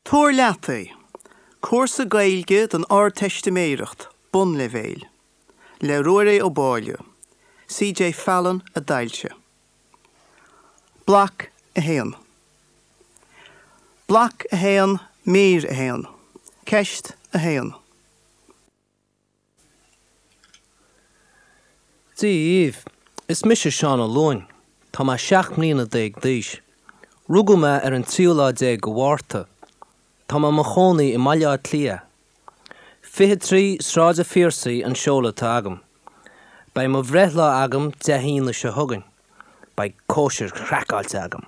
Tabhair leat é! Cúrsa Gaeilge don Ardteistiméireacht, Bonnleibhéil. Le Ruairí Ó Báille. CJ Fallon a d'fhoilsigh. Bloc 1. Bloc 1, Mír 1. Ceist 1. Dia dhaoibh, is mise Seán Ó Luain. Tá mé 17 mbliana d'aois. Rugadh mé ar an tríú lá déag de Mhárta. Tá mé i mo chónaí i mBaile Átha Cliath. 23 Sráid an Phiarsaigh an seoladh atá agam. Beidh mo bhreithlá agam Dé hAoine seo chugainn. Beidh cóisir chraiceáilte agam.